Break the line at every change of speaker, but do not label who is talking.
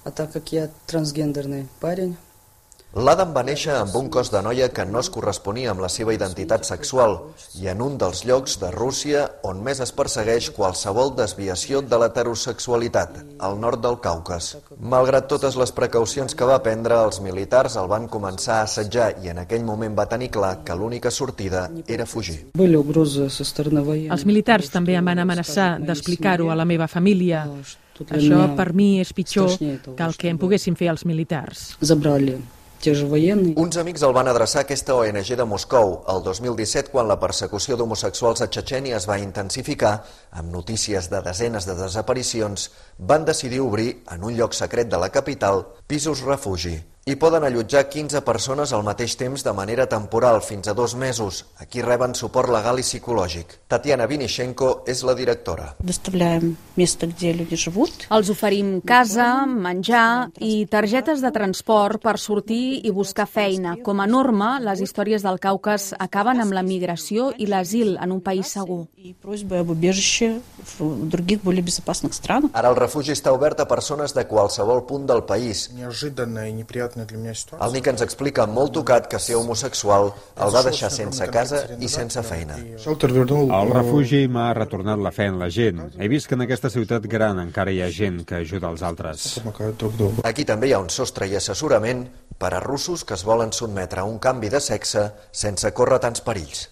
А так как я трансгендерный парень,
L'Adam va néixer amb un cos de noia que no es corresponia amb la seva identitat sexual i en un dels llocs de Rússia on més es persegueix qualsevol desviació de l'heterosexualitat, al nord del Caucas. Malgrat totes les precaucions que va prendre, els militars el van començar a assetjar i en aquell moment va tenir clar que l'única sortida era fugir.
были угрозы со стороны военных.
Els militars també em van amenaçar d'explicar-ho a la meva família. Això per mi és pitjor que el que em poguessin fer els militars.
Забрали те же военные.
Uns amics el van adreçar a aquesta ONG de Moscou el 2017 quan la persecució d'homosexuals a Txetxènia es va intensificar, amb notícies de desenes de desaparicions, van decidir obrir, en un lloc secret de la capital, pisos refugi. Hi poden allotjar 15 persones al mateix temps de manera temporal, fins a 2 mesos. Aquí reben suport legal i psicològic. Tatiana Vinichenko és la directora.
Доставляем место, где люди живут.
Els oferim casa, menjar i targetes de transport per sortir i buscar feina. Com a norma, les històries del Caucas acaben amb la migració i l'asil en un país segur.
И просьбы об убежище в других более безопасных странах.
Ara el refugi està obert a persones de qualsevol punt del país.
Неожиданная и неприятная для меня ситуация.
El Nick ens explica molt tocat que ser homosexual el va deixar sense casa i sense feina.
El refugi m'ha retornat la fe en la gent. He vist que en aquesta ciutat gran encara hi ha gent que ajuda els altres.
Aquí també hi ha un sostre i assessorament per a russos que es volen sotmetre a un canvi de sexe sense córrer tants perills.